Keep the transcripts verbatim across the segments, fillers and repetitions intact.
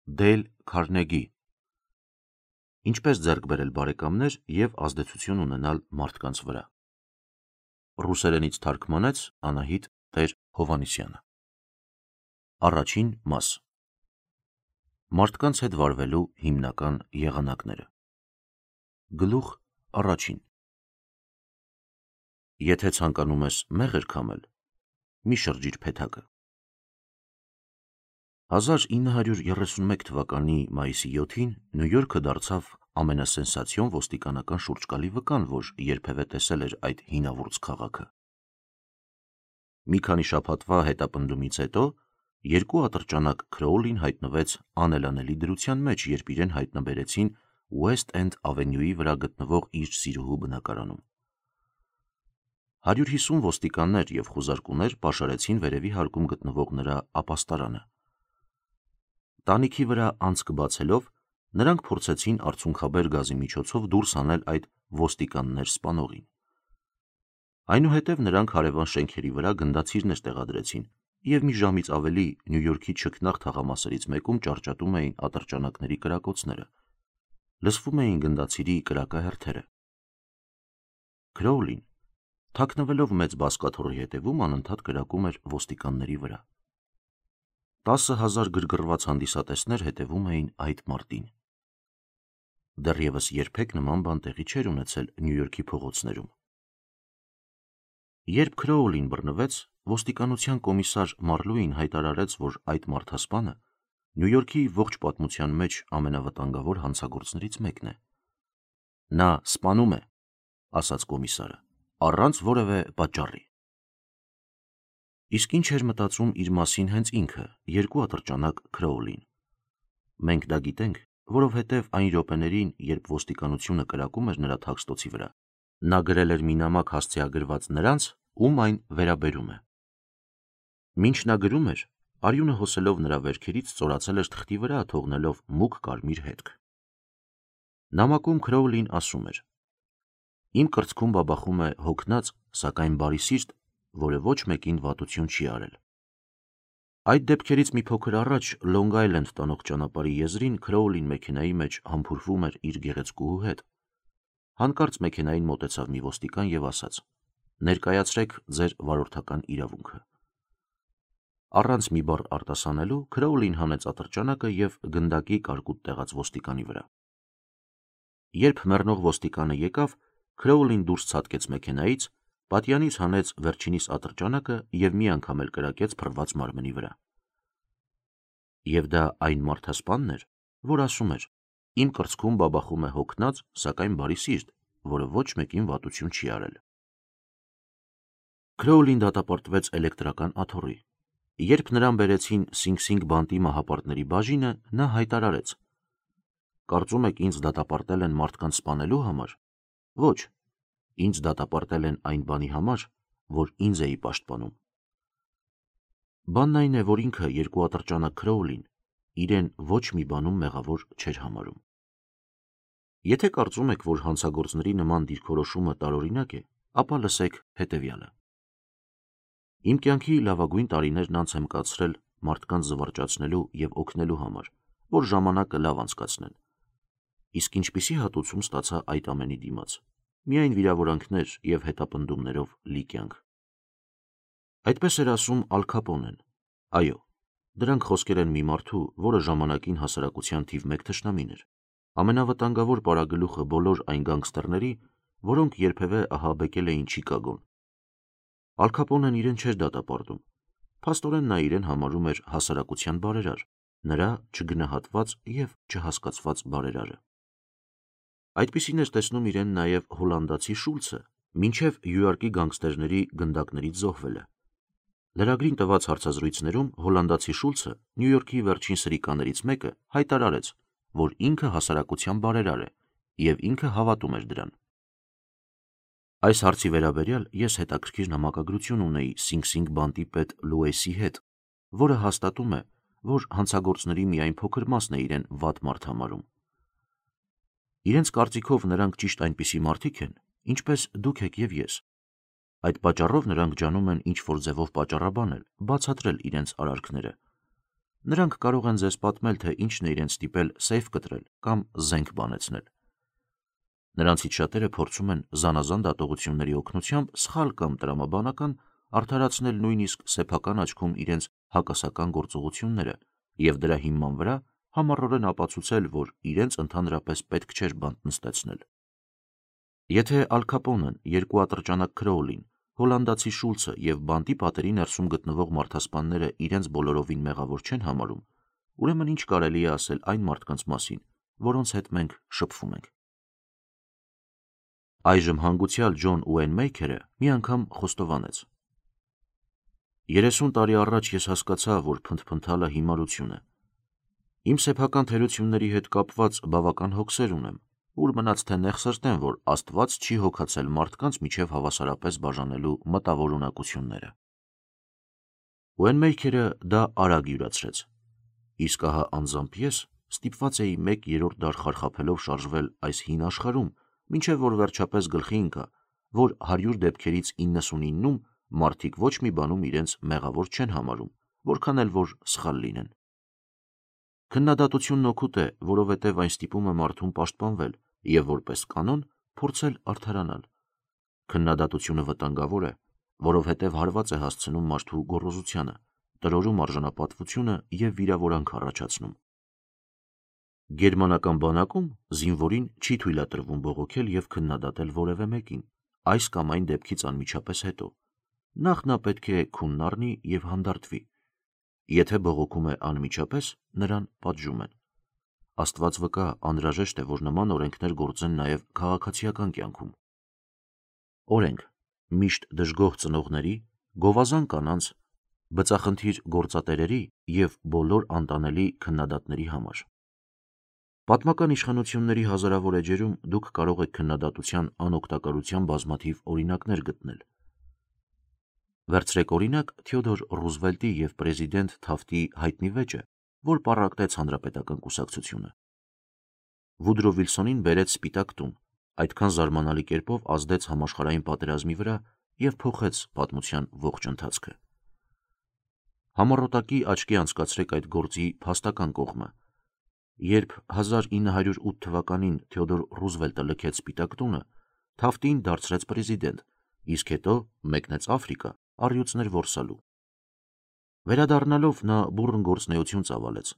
Դեյլ Քարնեգի Ինչպես ձեռք բերել բարեկամներ և ազդեցություն ունենալ մարդկանց վրա։ Ռուսերենից թարգմանեց Անահիտ Տեր-Հովհաննիսյանը։ Առաջին մաս։ Մարդկանց հետ վարվելու հիմնական եղանակները։ Գլուխ առաջին։ Եթե ցանկանում ես մեղր քամել, մի շրջիր փեթակը։ հազար ինը հարյուր երեսունմեկ թվականի մայիսի յոթին Նյու Յորքը դարձավ ամենասենսացիոն ոստիկանական շուրջկալի վկան, որ երբևէ տեսել էր այդ հինավուրց քաղաքը։ Մի քանի շաբաթվա հետապնդումից հետո երկու ատրճանակ Քրոուլին հայտնվեց անելանելի դրության մեջ, երբ իրեն հայտնաբերեցին West End ավենյուի վրա գտնվող իր սիրուհու բնակարանում։ հարյուր հիսուն ոստիկաններ և խուզարկուներ պաշարեցին վերևի հարկում գտնվող նրա ապաստարանը։ Տանիքի վրա անցք բացելով, նրանք փորձեցին արցունքաբեր գազի միջոցով դուրս հանել այդ ոստիկաններ սպանողին։ Այնուհետև նրանք հարևան շենքերի վրա գնդացիրներ տեղադրեցին և մի ժամից ավելի Նյու Յորքի չքնաղ թաղամասերից մեկում ճառճատում էին ատրճանակների կրակոցները։ Լսվում էին գնդացիրի կրակահերթերը։ Քրոուլին, թաքնվելով մեծ բազկաթոռի հետևում, անընդհատ կրակում էր ոստիկանների վրա։ Տասը հազար գրգռված հանդիսատեսներ հետևում էին այդ մարտին։ Դեռևս երբեք նման բան տեղի չէր ունեցել Նյու Յորքի փողոցներում։ Երբ Քրոուլին բռնվեց, ոստիկանության կոմիսար Մարլուին հայտարարեց, որ այդ մարդասպանը Նյու Յորքի ողջ պատմության մեջ ամենավտանգավոր հանցագործներից մեկն է։ Նա սպանում է, ասաց կոմիսարը, առանց որևէ պատճառի։ Իսկ ինչ էր մտածում իր մասին հենց ինքը, երկու ատրճանակ Քրոուլին։ Մենք դա գիտենք, որովհետև այն րոպեներին, երբ ոստիկանությունը կրակում էր նրա թաքստոցի վրա, նա գրել էր մի նամակ հասցեագրված նրանց, ում այն վերաբերում է։ Մինչ նա գրում էր, արյունը հոսելով նրա վերքերից ծորացել էր թղթի վրա, թողնելով մուգ կարմիր հետք։ Նամակում Քրոուլին ասում էր. Իմ կրծքում բաբախում է հոգնած, սակայն բարի սիրտ, որը ոչ մեկին վատություն չի արել։ Այդ դեպքերից մի փոքր առաջ Լոնգ Այլենդ տանող ճանապարհի եզրին Քրոուլին մեքենայի մեջ համբուրվում էր իր գեղեցկուհու հետ։ Հանկարծ մեքենային մոտեցավ մի ոստիկան և ասաց. «Ներկայացրեք ձեր վարորդական իրավունքը»։ Առանց մի բառ արտասանելու Քրոուլին հանեց ատրճանակը և գնդակի կարկուտ տեղաց ոստիկանի վրա։ Երբ մեռնող ոստիկանը եկավ, Քրոուլին դուրս ցատկեց մեքենայից, պատյանից հանեց վերջինիս ատրճանակը և մի անգամ էլ կրակեց փռված մարմնի վրա։ Եվ դա այն մարդասպանն էր, որ ասում էր. «Իմ կրծքում բաբախում է հոգնած, սակայն բարի սիրտ, որը ոչ մեկին վատություն չի արել»։ Քրոուլին դատապարտվեց էլեկտրական աթոռի։ Երբ նրան բերեցին Սինգ Սինգ բանտի մահապարտների բաժինը, նա հայտարարեց. «Կարծում եք ինձ դատապարտել են մարդկանց սպանելու համար։ Ոչ, ինձ դատապարտել են այն բանի համար, որ ինձ էի պաշտպանում»։ Բանն այն է, որ ինքը երկու ատրճանակ Քրոուլին իրեն ոչ մի բանում մեղավոր չէր համարում։ Եթե կարծում եք, որ հանցագործների նման դիրքորոշումը տարօրինակ է, ապա լսեք հետևյալը։ Իմ կյանքի լավագույն տարիներն անց եմ կացրել մարդկանց զվարճացնելու և օգնելու համար, որ ժամանակը լավ անցկացնեն։ Իսկ ինչպիսի հատուցում ստացա այդ ամենի դիմաց։ Միայն վիրավորանքներ և հետապնդումներով լի կյանք։ Այդպես էր ասում Ալ Քապոնեն։ Այո, դրանք խոսքեր են մի մարդու, որը ժամանակին հասարակության թիվ մեկ թշնամին էր, ամենավտանգավոր պարագլուխը բոլոր այն գանգստերների, որոնք երբևէ ահաբեկել էին Չիկագոն։ Ալ Քապոնեն իրեն չէր դատապարտում։ Փաստորեն նա իրեն համարում էր հասարակության բարերար, նրա չգնահատված և չհասկացված բարերարը։ Այդպիսին էր տեսնում իրեն նաև հոլանդացի Շուլցը, մինչև յուարկի գանգստերների գնդակներից զոհվելը։ Լրագրին տված հարցազրույցներում հոլանդացի Շուլցը, Նյու Յորքի վերջին սրիկաներից մեկը, հայտարարեց, որ ինքը հասարակության բարերար է, և ինքը հավատում էր դրան։ Այս հարցի վերաբերյալ ես հետաքրքիր նամակագրություն ունեի Սինգ Սինգ բանտի պետ Լուեսի հետ, որը հաստատում է, որ հանցագործների միայն փոքր մասն է իրեն վատ մարդ համարում։ Իրենց կարծիքով նրանք ճիշտ այնպիսի մարդիկ են, ինչպես դուք եք և ես։ Այդ պատճառով նրանք ջանում են ինչ-որ ձևով պատճառաբանել, բացատրել իրենց արարքները։ Նրանք կարող են ձեզ պատմել, թե ինչն է իրենց ստիպել սեյֆ կտրել կամ զենք բանեցնել։ Նրանցից շատերը փորձում են զանազան դատողությունների օգնությամբ սխալ կամ տրամաբանական արդարացնել նույնիսկ սեփական աչքում իրենց հակասական գործողությունները և դրա հիման վրա համառորեն ապացուցել, որ իրենց ընդհանրապես պետք չէր բանտ նստեցնել։ Եթե Ալ Քապոնեն, երկու ատրճանակ Քրոուլին, հոլանդացի Շուլցը և բանտի պատերի ներսում գտնվող մարդասպանները իրենց բոլորովին մեղավոր չեն համարում, ուրեմն ինչ կարելի է ասել այն մարդկանց մասին, որոնց հետ մենք շփվում ենք։ Այժմ հանգուցյալ Ջոն Ուեյնմեյքերը մի անգամ խոստովանեց. երեսուն տարի առաջ ես հասկացա, որ փնթփնթալը հիմարություն է։ Իմ սեփական թերությունների հետ կապված բավական հոգսեր ունեմ, ուր մնաց թե նեղ սրտեմ, որ Աստված չի հոգացել մարդկանց միջև հավասարապես բաժանելու մտավոր ունակությունները։ Ուեյնմեյքերը դա արագ յուրացրեց։ Իսկ ահա անձամբ ես ստիպված էի մեկ երրորդ դար խարխափելով շարժվել այս հին աշխարհում, մինչև որ վերջապես գլխի ընկա, որ հարյուր դեպքերից իննսունիննում մարդիկ ոչ մի բանում իրենց մեղավոր չեն համարում, որքան էլ որ սխալ լինեն։ Քննադատությունն օգուտ է, որովհետև այն ստիպում է մարդուն պաշտպանվել և որպես կանոն փորձել արդարանալ։ Քննադատությունը վտանգավոր է, որովհետև հարված է հասցնում մարդու գոռոզությանը, տրորում արժանապատվությունը և վիրավորանք առաջացնում։ Գերմանական բանակում զինվորին չի թույլատրվում բողոքել և քննադատել որևէ մեկին, այս կամ այն դեպքից անմիջապես հետո։ Նախ նա պետք է քունն առնի և հանդարտվի։ Եթե բողոքում է անմիջապես, նրան պատժում են։ Աստված վկա, անհրաժեշտ է, որ նման օրենքներ գործեն նաև քաղաքացիական կյանքում։ Օրենք՝ միշտ դժգոհ ծնողների, գովազան կանանց, բծախնդիր գործատերերի և բոլոր անտանելի քննադատների համար։ Պատմական իշխանությունների հազարավոր էջերում դուք կարող եք քննադատության անօգտակարության բազմաթիվ օրինակներ գտնել։ Վերցրեք օրինակ Թեոդոր Ռուզվելտի և պրեզիդենտ Թաֆթի հայտնի վեճը, որ պառակտեց Հանրապետական կուսակցությունը։ Վուդրո Վիլսոնին բերեց Սպիտակ տուն, այդքան զարմանալի կերպով ազդեց համաշխարհային պատերազմի վրա և փոխեց պատմության ողջ ընթացքը։ Համառոտակի աչքի անցկացրեք այդ գործի փաստական կողմը։ Երբ հազար ինը հարյուր ութ թվականին Թեոդոր Ռուզվելտը լքեց Սպիտակ տունը, Թաֆթին դարձրեց պրեզիդենտ, իսկ հետո մեկնեց Աֆրիկա առյուծներ որսալու։ Վերադառնալով նա բուռն գործունեություն ծավալեց,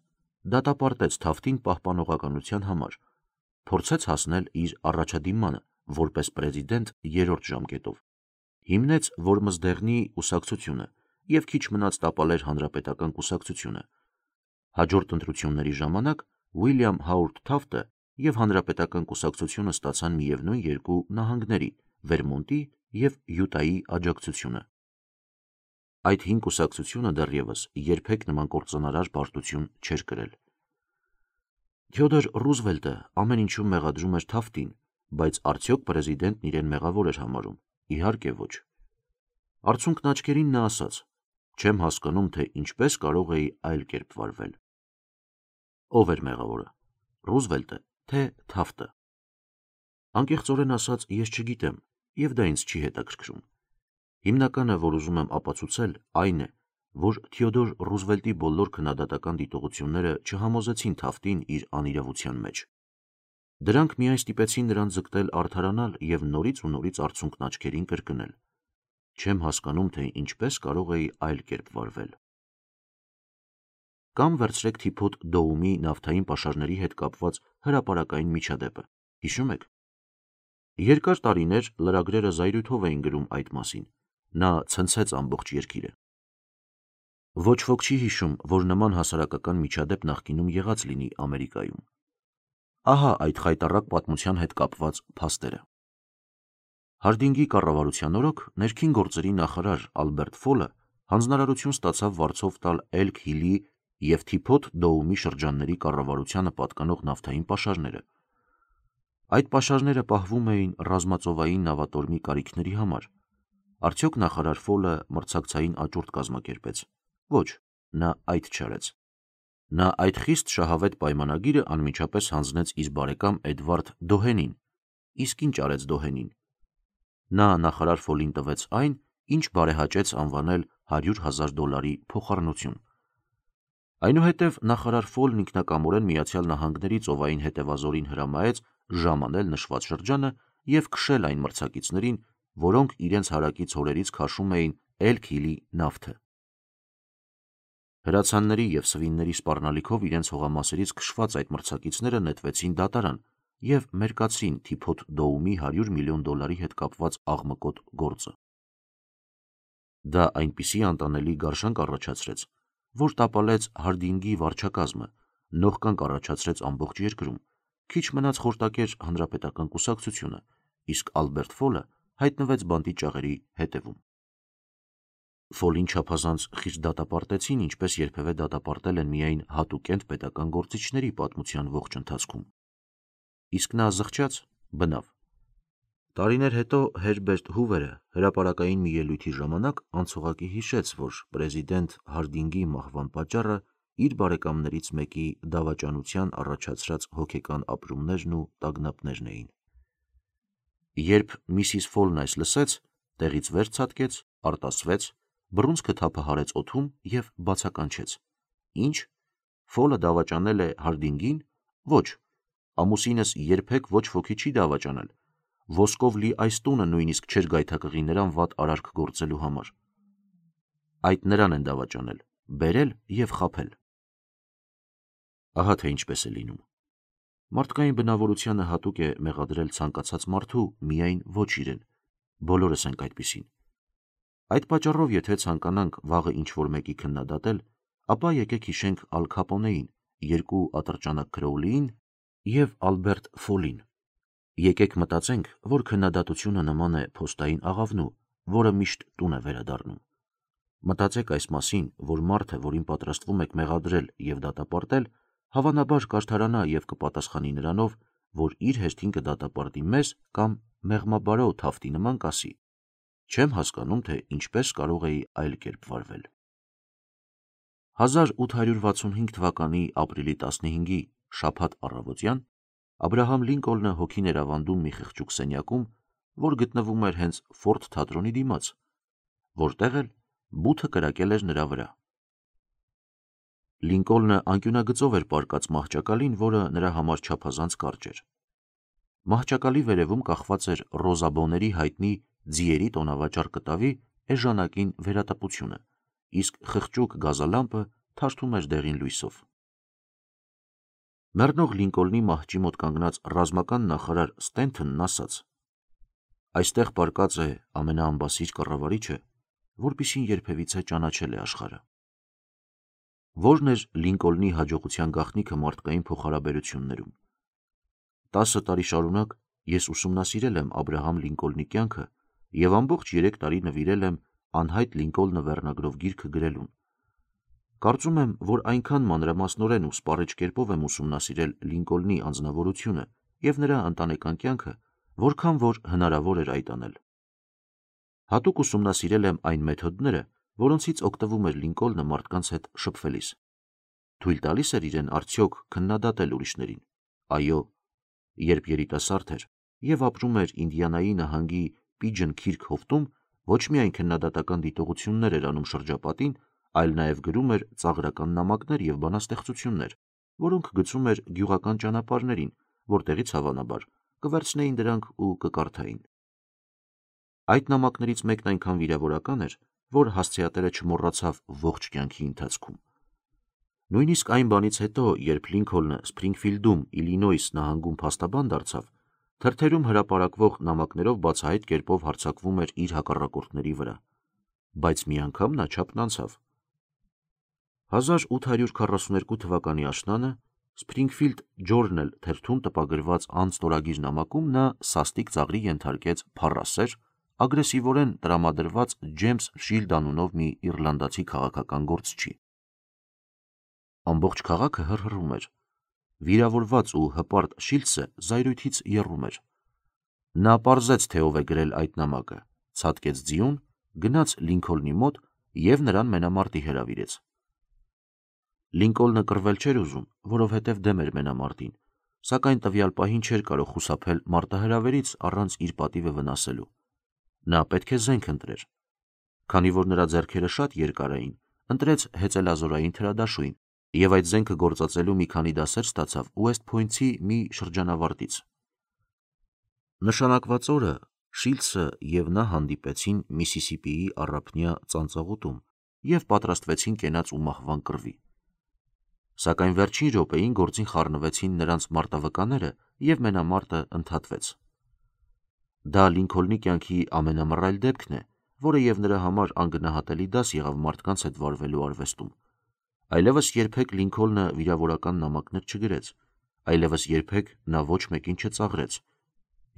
դատապարտեց Թաֆթին պահպանողականության համար, փորձեց հասնել իր առաջադիմանը որպես պրեզիդենտ երրորդ ժամկետով, հիմնեց Որմզդեղնի կուսակցությունը և քիչ մնաց տապալեր Հանրապետական կուսակցությունը։ Հաջորդ ընտրությունների ժամանակ Ուիլյամ Հարոուրդ Թաֆթը և Հանրապետական կուսակցությունը ստացան միևնույն երկու նահանգների՝ Վերմոնտի և Յուտայի աջակցությունը։ Այդ հին կուսակցությունը դեռևս երբեք նման կործանարար պարտություն չէր կրել։ Թեոդոր Ռուզվելտը ամեն ինչում մեղադրում էր Թաֆթին, բայց արդյոք պրեզիդենտն իրեն մեղավոր էր համարում։ Իհարկե ոչ։ Արցունքն աչքերին նա ասաց. «Չեմ հասկանում, թե ինչպես կարող էի այլ կերպ վարվել»։ Ո՞վ էր մեղավորը՝ Ռուզվելտը, թե Թաֆթը։ Անկեղծորեն ասած, ես չգիտեմ, և դա ինձ չի հետաքրքրում։ Հիմնականը, որ ուզում եմ ապացուցել, այն է, որ Թեոդոր Ռուզվելտի բոլոր քննադատական դիտողությունները չհամոզեցին Թաֆթին իր անիրավության մեջ։ Դրանք միայն ստիպեցին նրան ձգտել արդարանալ և նորից ու նորից արցունքն աչքերին կրկնել. «Չեմ հասկանում, թե ինչպես կարող էի այլ կերպ վարվել»։ Կամ վերցրեք թիփոթ Դոումի նավթային պաշարների հետ կապված հրապարակային միջադեպը։ Հիշո՞ւմ եք։ Երկար տարիներ լրագրերը զայրույթով էին գրում այդ մասին։ Նա ցնցեց ամբողջ երկիրը։ Ոչ ոք չի հիշում, որ նման հասարակական միջադեպ նախկինում եղած լինի Ամերիկայում։ Ահա այդ խայտառակ պատմության հետ կապված փաստերը։ Հարդինգի կառավարության օրոք ներքին գործերի նախարար Ալբերտ Ֆոլը հանձնարարություն ստացավ վարձով տալ Էլք Հիլի և թիփոթ Դոումի շրջանների կառավարությանը պատկանող նավթային պաշարները։ Այդ պաշարները պահվում էին ռազմածովային նավատորմի կարիքների համար։ Արդյոք նախարար Ֆոլը մրցակցային աճուրդ կազմակերպեց։ Ոչ, նա այդ չարեց։ Նա այդ խիստ շահավետ պայմանագիրը անմիջապես հանձնեց իր բարեկամ Էդվարդ Դոհենին։ Իսկ ինչ արեց Դոհենին։ Նա նախարար Ֆոլին տվեց այն, ինչ բարեհաճեց անվանել հարյուր հազար դոլարի փոխառնություն։ Այնուհետև նախարար Ֆոլն ինքնակամորեն Միացյալ Նահանգների ծովային հետևազորին հրամայեց ժամանել նշված շրջանը և քշել այն մրցակիցներին, որոնք իրենց հարակից հորերից քաշում էին Էլք Հիլի նավթը։ Հրացանների և սվինների սպառնալիքով իրենց հողամասերից քշված այդ մրցակիցները նետվեցին դատարան և մերկացրին Թիփոթ Դոումի հարյուր միլիոն դոլարի հետ կապված աղմկոտ գործը։ Դա այնպիսի անտանելի գարշանք առաջացրեց, որ տապալեց Հարդինգի վարչակազմը, նողկանք առաջացրեց ամբողջ երկրում, քիչ մնաց խորտակեր հանրապետական կուսակցությունը, իսկ Ալբերտ Ֆոլը հայտնվեց բանտի ճաղերի հետևում։ Ֆոլին չափազանց խիստ դատապարտեցին, ինչպես երբևէ դատապարտել են միայն հատուկենտ պետական գործիչների պատմության ողջ ընթացքում։ Իսկ նա զղջաց, բնավ։ Տարիներ հետո Հերբերտ Հուվերը հրապարակային մի ելույթի ժամանակ անցողակի հիշեց, որ պրեզիդենտ Հարդինգի մահվան պատճառը իր բարեկամներից մեկի դավաճանության առաջացրած հոգեկան ապրումներն ու տագնապներն էին։ Երբ միսիս Ֆոլն այս լսեց, տեղից վեր ցատկեց, արտասվեց, բռունցքը թափը հարեց օդում և բացականչեց. Ինչ, Ֆոլը դավաճանել է Հարդինգին։ Ոչ, ամուսինս երբեք ոչ ոքի չի դավաճանել, ոսկով լի այս տունը նույնիսկ չէր գայթակղի նրան վատ արարք գործելու համար։ Այդ նրան են դավաճանել, բերել և խաբել։ Ահա թե ինչպես է լինում։ Մարդկային բնավորությանը հատուկ է մեղադրել ցանկացած մարդու, միայն ոչ իրեն, բոլորս ենք այդպիսին։ Այդ պատճառով, եթե ցանկանանք վաղը ինչ-որ մեկի քննադատել, ապա եկեք հիշենք Ալ Քապոնեին, երկու ատրճանակ Քրոուլիին և Ալբերտ Ֆոլին։ Եկեք մտածենք, որ քննադատությունը նման է փոստային աղավնու, որը միշտ տուն է վերադառնում։ Մտածեք այս մասին, որ մարդը, որին պատրաստվում եք մեղադրել և դատապարտել, հավանաբար կարդարանա և կպատասխանի նրանով, որ իր հերթին կդատապարտի մեզ կամ մեղմաբարո թավթի նման կասի. չեմ հասկանում, թե ինչպես կարող էի այլ կերպ վարվել։ հազար ութ հարյուր վաթսունհինգ թվականի ապրիլի տասնհինգի շաբաթ առավոտյան Աբրահամ Լինկոլնը հոգին էր ավանդում մի խղճուկ սենյակում, որ գտնվում էր հենց Ֆորդ թատրոնի դիմաց, որտեղ էլ բութը կրակել էր նրա վրա։ Լինկոլնը անկյունագծով էր պառկած մահճակալին, որը նրա համար չափազանց կարճ էր։ Մահճակալի վերևում կախված էր Ռոզաբոների հայտնի ձիերի տոնավաճառ կտավի էժանակին վերատպությունը, իսկ խղճուկ գազալամպը թարթում էր դեղին լույսով։ Մեռնող Լինկոլնի մահճի մոտ կանգնած ռազմական նախարար Ստենթոնն ասաց. այստեղ պառկած է ամենաանբասիր կառավարիչը, որպիսին երբևիցե ճանաչել է աշխարհը։ Որն էր Լինկոլնի հաջողության գաղտնիքը մարդկային փոխհարաբերություններում։ Տասը տարի շարունակ ես ուսումնասիրել եմ Աբրահամ Լինկոլնի կյանքը և ամբողջ երեք տարի նվիրել եմ «Անհայտ Լինկոլնը» վերնագրով գիրքը գրելուն։ Կարծում եմ, որ այնքան մանրամասնորեն ու սպառիչ կերպով եմ ուսումնասիրել Լինկոլնի անձնավորությունը և նրա ընտանեկան կյանքը, որքան որ հնարավոր էր այդ անել։ Հատուկ ուսումնասիրել եմ այն մեթոդները, որոնցից օգտվում էր Լինկոլնը մարդկանց հետ շփվելիս։ Թույլ տալի՞ս էր իրեն արդյոք քննադատել ուրիշներին։ Այո, երբ երիտասարդ էր և ապրում էր Ինդիանայի նահանգի Պիջն Քիրք հովտում, ոչ միայն քննադատական դիտողություններ էր անում շրջապատին, այլ նաև գրում էր ծաղրական նամակներ և բանաստեղծություններ, որոնք գցում էր գյուղական ճանապարհներին, որտեղից հավանաբար կվերցնեին դրանք ու կկարդային։ Այդ նամակներից մեկն այնքան վիրավորական էր, որ հասցեատերը չմոռացավ ողջ կյանքի ընթացքում։ Նույնիսկ այն բանից հետո, երբ Լինքոլնը Սփրինգֆիլդում, Իլինոյս նահանգում փաստաբան դարձավ, թերթերում հրապարակվող նամակներով բացահայտ կերպով հարձակվում էր իր հակառակորդների վրա, բայց մի անգամ նա չափն անցավ։ հազար ութ հարյուր քառասուներկու թվականի աշնանը Springfield Journal թերթում տպագրված անստորագիր նամակում նա սաստիկ ծաղրի ենթարկեց փառասեր, ագրեսիվորեն տրամադրված Ջեյմս Շիլդ անունով մի իռլանդացի քաղաքական գործչի։ Ամբողջ քաղաքը հռհռում էր։ Վիրավորված ու հպարտ Շիլդսը զայրույթից եռում էր։ Նա պարզեց, թե ով է գրել այդ նամակը, ցատկեց ձիուն, գնաց Լինքոլնի մոտ և նրան մենամարտի հրավիրեց։ Լինկոլնը կռվել չէր ուզում, որովհետև դեմ էր մենամարտին, սակայն տվյալ պահին չէր կարող խուսափել մարտահրավերից առանց իր պատիվը վնասելու։ Նա պետք է զենք ընտրեր։ Քանի որ նրա ձեռքերը շատ երկար էին, ընտրեց հեծելազորային թրադաշույն, Եվ այդ զենքը գործածելու մի քանի դասեր ստացավ West Point-ի մի շրջանավարտից։ Նշանակված օրը Շիլդսը և նա հանդիպեցին Միսիսիպիի առափնյա ծանծաղուտում և պատրաստվեցին կենաց ու մահվան կռվի։ Սակայն վերջին րոպեին գործին խառնվեցին նրանց մարտավկաները և մենամարտը ընդհատվեց։ Դա Լինքոլնի կյանքի ամենամռայլ դեպքն է, որը և նրա համար անգնահատելի դաս եղավ մարդկանց հետ վարվելու արվեստում։ Այլևս երբեք Լինքոլնը վիրավորական նամակներ չգրեց, այլևս երբեք նա ոչ մեկին չծաղրեց,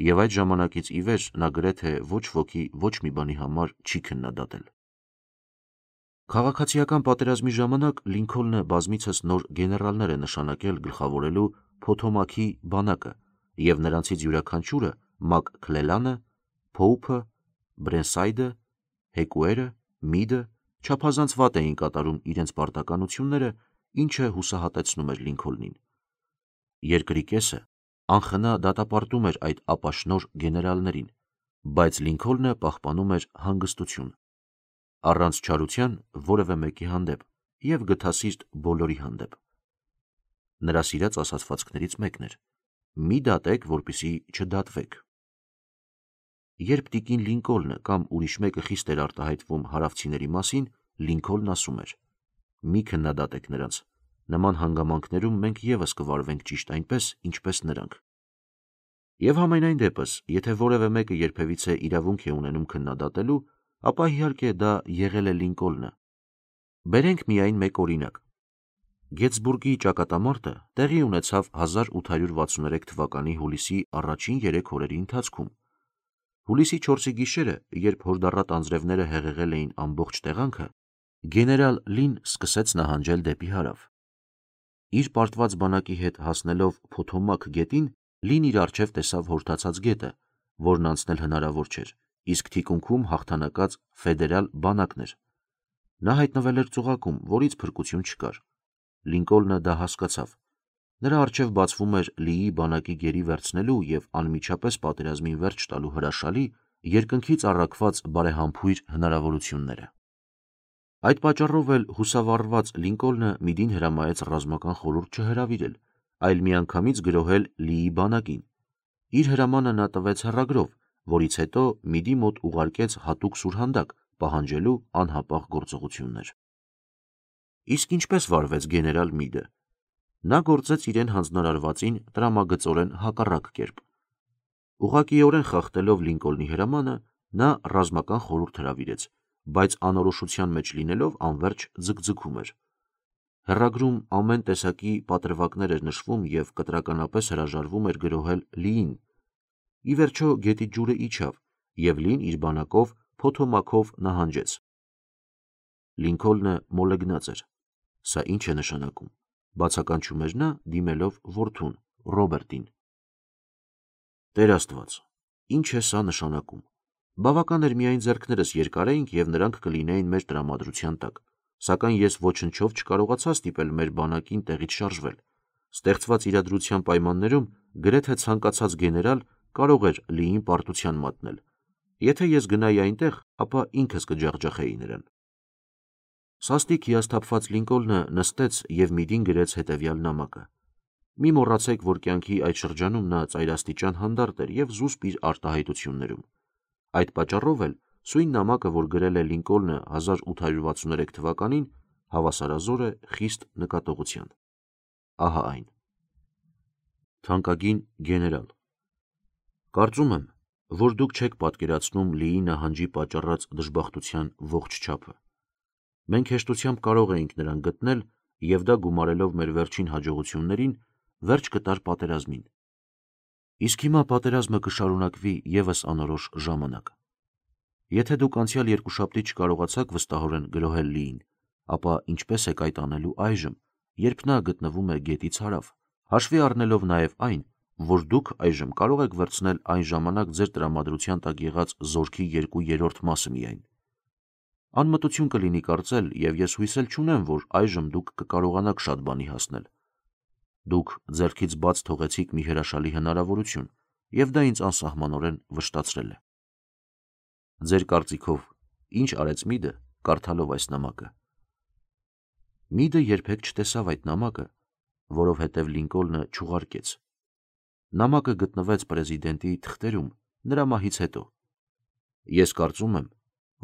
և այդ ժամանակից ի վեր նա գրեթե ոչ ոքի ոչ մի բանի համար չի քննադատել։ Քաղաքացիական պատերազմի ժամանակ Լինքոլնը բազմիցս նոր գեներալներ է նշանակել գլխավորելու Փոթոմաքի բանակը, և նրանցից յուրաքանչյուրը՝ Մակ Քլելանը, Փոուփը, Բրենսայդը, Հեկուերը, Միդը, չափազանց վատ էին կատարում իրենց պարտականությունները, ինչը հուսահատեցնում էր Լինքոլնին։ Երկրի կեսը անխնա դատապարտում էր այդ ապաշնորհ գեներալներին, բայց Լինքոլնը պահպանում էր հանգստություն, առանց չարության որևէ մեկի հանդեպ և գթասիրտ բոլորի հանդեպ։ Նրա սիրած ասացվածքներից մեկն էր. «Մի դատեք, որպեսզի չդատվեք»։ Երբ տիկին Լինքոլնը կամ ուրիշ մեկը խիստ էր արտահայտվում հարավցիների մասին, Լինքոլնն ասում էր. «Մի քննադատեք նրանց, նման հանգամանքներում մենք ևս կվարվենք ճիշտ այնպես, ինչպես նրանք»։ Եվ համենայն դեպս, եթե որևէ մեկը երբևիցե իրավունք է ունենում քննադատելու, ապա իհարկե դա եղել է Լինքոլնը։ Բերենք միայն մեկ օրինակ։ Գեթսբուրգի ճակատամարտը տեղի ունեցավ հազար ութ հարյուր վաթսուներեք թվականի հուլիսի առաջին երեք օրերի ընթացքում։ Հուլիսի չորսի գիշերը, երբ հորդառատ անձրևները հեղեղել էին ամբողջ տեղանքը, գեներալ Լին սկսեց նահանջել դեպի հարավ։ Իր պարտված բանակի հետ հասնելով Փոթոմակ գետին, Լին իր առջև տեսավ հորդացած գետը, որն անցնել հնարավոր չէր, իսկ թիկունքում հաղթանակած ֆեդերալ բանակն էր։ Նա հայտնվել էր ծուղակում, որից փրկություն չկար։ Լինքոլնը դա հասկացավ։ Նրա առջև բացվում էր Լիի բանակի գերի վերցնելու և անմիջապես պատերազմին վերջ տալու հրաշալի, երկնքից առաքված բարեհամբույր հնարավորությունները։ Այդ պատճառով էլ հուսավառված Լինքոլնը Միդին հրամայեց ռազմական խորհուրդ չհրավիրել, այլ միանգամից գրոհել Լիի բանակին։ Իր հրամանը նա տվեց հեռագրով, որից հետո Միդի մոտ ուղարկեց հատուկ սուրհանդակ՝ պահանջելու անհապաղ գործողություններ։ Իսկ ինչպե՞ս վարվեց գեներալ Միդը։ Նա գործեց իրեն հանձնարարվածին տրամագծորեն հակառակ կերպ։ Ուղղակիորեն խախտելով Լինքոլնի հրամանը, նա ռազմական խորհուրդ հրավիրեց, բայց անորոշության մեջ լինելով անվերջ ձգձգում էր։ Հեռագրում ամեն տեսակի պատրվակներ էր նշվում և կտրականապես հրաժարվում էր գրոհել Լիին։ Ի վերջո գետի ջուրը իջավ, և Լին իր բանակով Փոթոմաքով նահանջեց։ Լինքոլնը մոլեգնած էր։ Սա ի՞նչ է նշանակում, բացականչում էր նա, դիմելով որդուն՝ Ռոբերտին։ Տեր Աստված, ի՞նչ է սա նշանակում։ Բավական էր միայն ձեռքներս երկարեինք, և նրանք կլինեին մեր տրամադրության տակ, սակայն ես ոչնչով չկարողացա ստիպել մեր բանակին տեղից շարժվել։ Ստեղծված իրադրության պայմաններում գրեթե ցանկացած գեներալ կարող էր Լիին պարտության մատնել։ Եթե ես գնայի այնտեղ, ապա ինքս կջախջախեի նրան։ Սաստիկ հիասթափված Լինքոլնը նստեց և Միդին գրեց հետևյալ նամակը. «Մի մոռացեք, որ կյանքի այդ շրջանում նա ծայրաստիճան հանդարտ էր և զուսպ իր արտահայտություններում։ Այդ պատճառով էլ սույն նամակը, որ գրել է Լինքոլնը հազար ութ հարյուր վաթսուներեք թվականին, հավասարազոր է խիստ նկատողության։ Ահա այն. Թանկագին գեներալ, կարծում եմ, որ դուք չեք պատկերացնում Լիի նահանջի պատճառած դժբախտության ողջ չափը։ Մենք հեշտությամբ կարող էինք նրան գտնել և դա գումարելով մեր վերջին հաջողություններին, վերջ կտար պատերազմին։ Իսկ հիմա պատերազմը կշարունակվի ևս անորոշ ժամանակ։ Եթե դուք անցյալ երկուշաբթի չկարողացաք վստահորեն գրոհել Լիին, ապա ինչպես եք այդ անելու այժմ, երբ նա գտնվում է գետից հարավ, հաշվի առնելով նաև այն, որ դուք այժմ կարող եք վերցնել այն ժամանակ ձեր տրամադրության տակ եղած զորքի երկու երրորդ մասը միայն։ Անմտություն կլինի կարծել, և ես հույս էլ չունեմ, որ այժմ դուք կկարողանաք շատ բանի հասնել։ Դուք ձեռքից բաց թողեցիք մի հրաշալի հնարավորություն, և դա ինձ անսահմանորեն վշտացրել է։ Ձեր կարծիքով ի՞նչ արեց Միդը, կարդալով այս նամակը։ Միդը երբեք չտեսավ այդ նամակը, որովհետև Լինկոլնը չուղարկեց։ Նամակը գտնվեց պրեզիդենտի թղթերում նրա մահից հետո։ Ես կարծում եմ,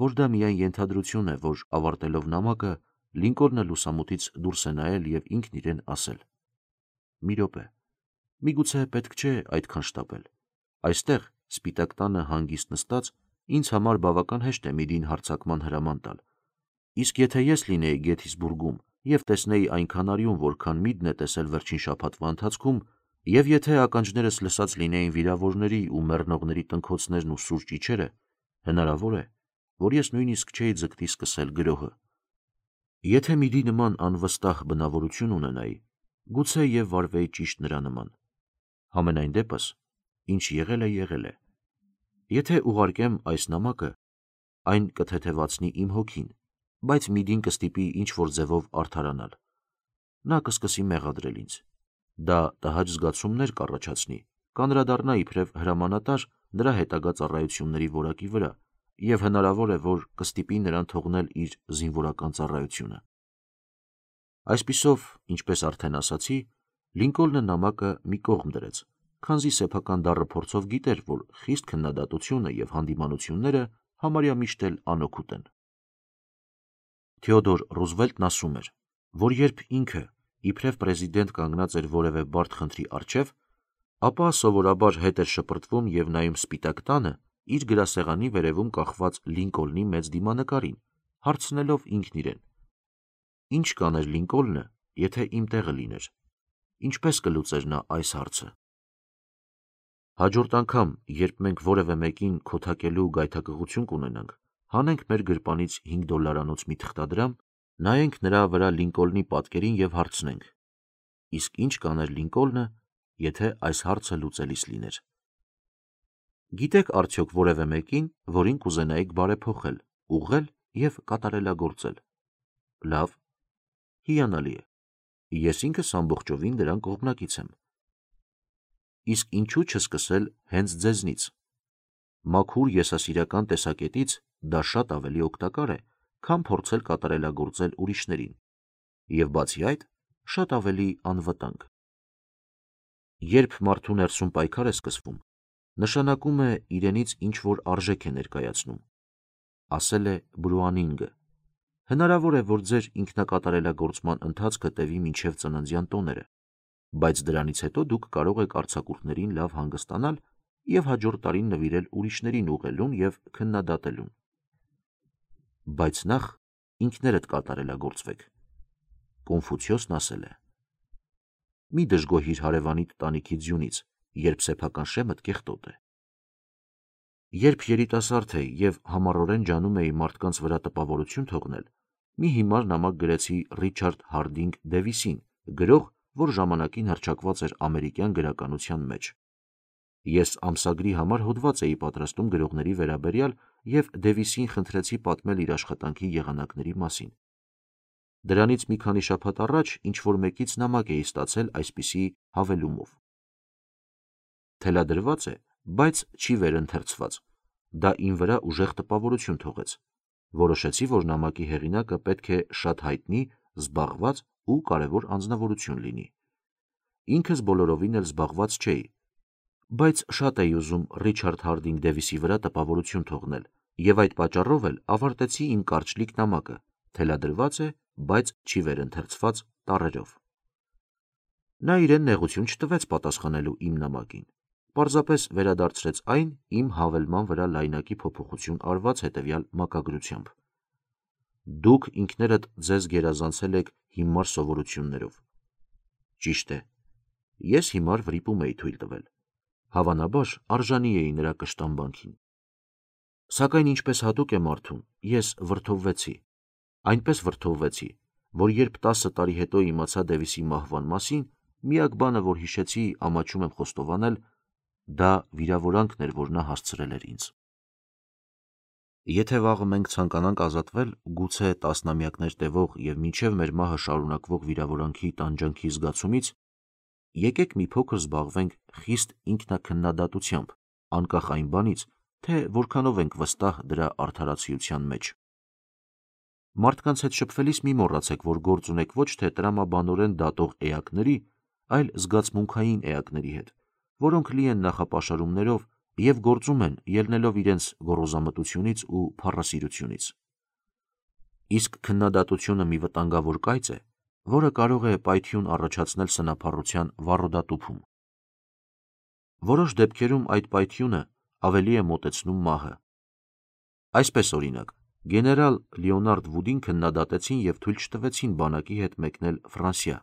որ դա միայն ենթադրություն է, որ ավարտելով նամակը Լինկոլնը լուսամուտից դուրս է նայել և ինքն իրեն ասել. «Մի րոպե, միգուցե պետք չէ այդքան շտապել։ Այստեղ, Սպիտակ տանը հանգիստ նստած, ինձ համար բավական հեշտ է Միդին հարձակման հրաման տալ։ Իսկ եթե ես լինեի Գեթիսբուրգում և տեսնեի այնքան արյուն, որքան Միդն է տեսել վերջին շաբաթվա ընթացքում, և եթե ականջներս լսած լինեին վիրավորների ու մեռնողների տնքոցներն ու սուր ճիչերը, հնարավոր է, որ ես նույնիսկ չէի ձգտի սկսել գրոհը։ Եթե Միդի նման անվստահ բնավորություն ունենայի, գուցե և վարվեի ճիշտ նրա նման։ Համենայն դեպս, ինչ եղել է, եղել է։ Եթե ուղարկեմ այս նամակը, այն կթեթևացնի իմ հոգին, բայց Միդին կստիպի ինչ-որ ձևով արդարանալ։ Նա կսկսի մեղադրել ինձ։ Դա տհաճ զգացումներ կառաջացնի, կանրադառնա իբրև հրամանատար նրա հետագա ծառայությունների որակի վրա և հնարավոր է, որ կստիպի նրան թողնել իր զինվորական ծառայությունը։ Այսպիսով, ինչպես արդեն ասացի, Լինկոլնը նամակը մի կողմ դրեց, քանզի սեփական դառը փորձով գիտեր, որ խիստ քննադատությունը և հանդիմանությունները համարյա միշտ էլ անօգուտ են։ Թեոդոր Ռուզվելտն ասում էր, որ երբ ինքը իբրև պրեզիդենտ կանգնած էր որևէ բարդ խնդրի առջև, ապա սովորաբար հետ էր շպրտվում և նայում Սպիտակ տանը իր գրասեղանի վերևում կախված Լինկոլնի մեծ դիմանկարին, հարցնելով ինքն իրեն. «Ի՞նչ կաներ Լինկոլնը, եթե իմ տեղը լիներ, ինչպես կլուծեր նա այս հարցը»։ Հաջորդ անգամ, երբ մենք որևէ մեկին քոթակելու գայթակղություն կունենանք, հանենք մեր գրպանից հինգ դոլարանոց մի թղթադրամ, նայենք նրա վրա Լինկոլնի պատկերին և հարցնենք. «Իսկ ի՞նչ կաներ Լինկոլնը, եթե այս հարցը լուծելիս լիներ»։ Գիտեք արդյոք որևէ մեկին, որին կուզենայիք բարեփոխել, ուղղել և կատարելագործել։ Լավ, հիանալի է։ Ես ինքս ամբողջովին դրան կողմնակից եմ։ Իսկ ինչու չսկսել հենց ձեզնից։ Մաքուր եսասիրական տեսակետից դա շատ ավելի օգտակար է, քան փորձել կատարելագործել ուրիշներին, և բացի այդ, շատ ավելի անվտանգ։ Երբ մարդու ներսում պայքար է սկսվում, նշանակում է իրենից ինչ-որ արժեք է ներկայացնում, ասել է Բրուանինգը։ Հնարավոր է, որ ձեր ինքնակատարելագործման ընթացքը տևի մինչև ծննդյան տոները, բայց դրանից հետո դուք կարող եք արձակուրդներին լավ հանգստանալ և հաջորդ տարին նվիրել ուրիշներին ուղղելուն և քննադատելուն։ Բայց նախ ինքներդ կատարելագործվեք։ Կոնֆուցիոսն ասել է. «Մի դժգոհիր հարևանիդ տանիքի ձյունից, երբ սեփական շեմդ կեղտոտ է»։ Երբ երիտասարդ էի և համառորեն ջանում էի մարդկանց վրա տպավորություն թողնել, մի հիմար նամակ գրեցի Ռիչարդ Հարդինգ Դեվիսին, գրող, որ ժամանակին հռչակված էր ամերիկյան գրականության մեջ։ Ես ամսագրի համար հոդված էի պատրաստում գրողների վերաբերյալ և Դեվիսին խնդրեցի պատմել իր աշխատանքի եղանակների մասին։ Դրանից մի քանի շաբաթ առաջ ինչ-որ մեկից նամակ էի ստացել այսպիսի հավելումով. «Թելադրված է, բայց չի վերընթերցված»։ Դա իմ վրա ուժեղ տպավորություն թողեց։ Որոշեցի, որ նամակի հեղինակը պետք է շատ հայտնի, զբաղված ու կարևոր անձնավորություն լինի։ Ինքս բոլորովին էլ զբաղված չէի, բայց շատ էի ուզում Ռիչարդ Հարդինգ Դեվիսի վրա տպավորություն թողնել և այդ պատճառով էլ ավարտեցի իմ կարճլիկ նամակը՝ թելադրված է, բայց չի վերընթերցված տառերով։ Նա իրեն նեղություն չտվեց պատասխանելու իմ նամակին, պարզապես վերադարձրեց այն իմ հավելման վրա լայնակի փոփոխություն արված հետևյալ մակագրությամբ. «Դուք ինքներդ ձեզ գերազանցել եք հիմար սովորություններով»։ Ճիշտ է, ես հիմար վրիպում էի թույլ տվել, հավանաբար արժանի էի նրա կշտամբանքին։ Սակայն ինչպես հատուկ է մարդուն, ես վրդովվեցի, այնպես վրդովվեցի, որ երբ տասը տարի հետո իմացա Դեվիսի մահվան մասին, միակ բանը, որ հիշեցի, ամաչում եմ խոստովանել, դա վիրավորանքն էր, որ նա հասցրել էր ինձ։ Եթե վաղը մենք ցանկանանք ազատվել գուցե տասնամյակներ տևող և մինչև մեր մահը շարունակվող վիրավորանքի տանջանքի զգացումից, եկեք մի փոքր զբաղվենք խիստ ինքնաքննադատությամբ, անկախ այն բանից, թե որքանով ենք վստահ դրա արդարացիության մեջ։ Մարդկանց հետ շփվելիս մի մոռացեք, որ գործ ունեք ոչ թե տրամաբանորեն դատող էակների, այլ զգացմունքային էակների հետ, որոնք լի են նախապաշարումներով և գործում են, ելնելով իրենց գոռոզամտությունից ու փառասիրությունից։ Իսկ քննադատությունը մի վտանգավոր կայծ է, որը կարող է պայթյուն առաջացնել սնափառության վառոդատուփում։ Որոշ դեպքերում այդ պայթյունը ավելի է մոտեցնում մահը։ Այսպես օրինակ, գեներալ Լեոնարդ Վուդին քննադատեցին և թույլ չտվեցին բանակի հետ մեկնել Ֆրանսիա։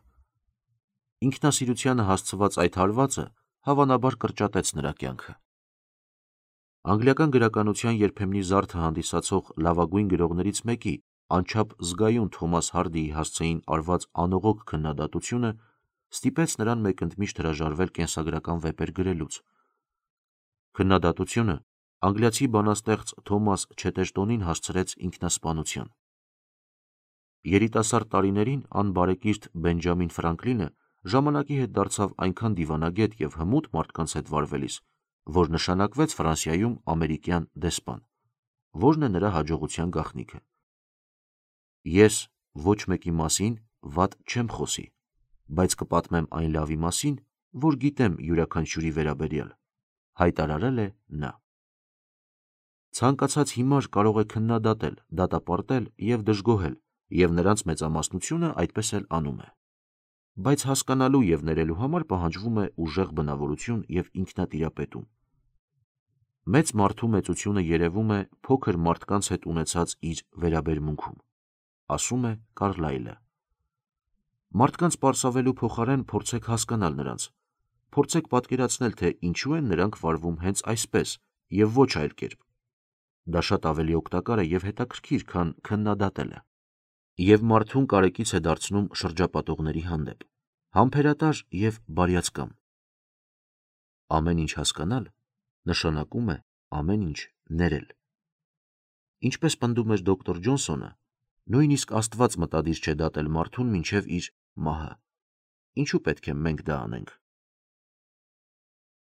Ինքնասիրությանը հասցված այդ հարվածը հավանաբար կրճատեց նրա կյանքը։ Անգլիական գրականության երբեմնի զարդը հանդիսացող լավագույն գրողներից մեկի անչափ զգայուն Թոմաս Հարդիի հասցեին արված անողոք քննադատությունը ստիպեց նրան մեկընդմիշտ հրաժարվել կենսագրական վեպեր գրելուց։ Քննադատությունը անգլիացի բանաստեղծ Թոմաս Չետերտոնին հասցրեց ինքնասպանության։ Երիտասարդ տարիներին անբարեկիրթ Բենջամին Ֆրանկլինը ժամանակի հետ դարձավ այնքան դիվանագետ և հմուտ մարդկանց հետ վարվելիս, որ նշանակվեց Ֆրանսիայում ամերիկյան դեսպան, որն է նրա հաջողության գաղտնիքը։ Ես ոչ մեկի մասին վատ չեմ խոսի, բայց կպատմեմ այն լավի մասին, որ գիտեմ յուրաքանչյուրի վերաբերյալ, հայտարարել է նա։ Ցանկացած հիմար կարող է քննադատել, դատապարտել և դժգոհել, և նրանց մեծամասնությունը այդպես էլ անում է։ Բայց հասկանալու և ներելու համար պահանջվում է ուժեղ բնավորություն և ինքնատիրապետում։ Մեծ մարդու մեծությունը երևում է փոքր մարդկանց հետ ունեցած իր վերաբերմունքում, ասում է Կարլայլը։ Մարդկանց պարսավելու փոխարեն փորձեք հասկանալ նրանց, փորձեք պատկերացնել, թե ինչու են նրանք վարվում հենց այսպես և ոչ այլ կերպ։ Դա շատ ավելի օգտակար է և հետաքրքիր, քան քննադատելը, և մարդուն կարեկից է դարձնում շրջապատողների հանդեպ, համբերատար և բարյացակամ։ Ամեն ինչ հասկանալ նշանակում է ամեն ինչ ներել։ Ինչպես պնդում էր դոկտոր Ջոնսոնը, նույնիսկ Աստված մտադիր չէ դատել մարդուն մինչև իր մահը։ Ինչու պետք է մենք դա անենք։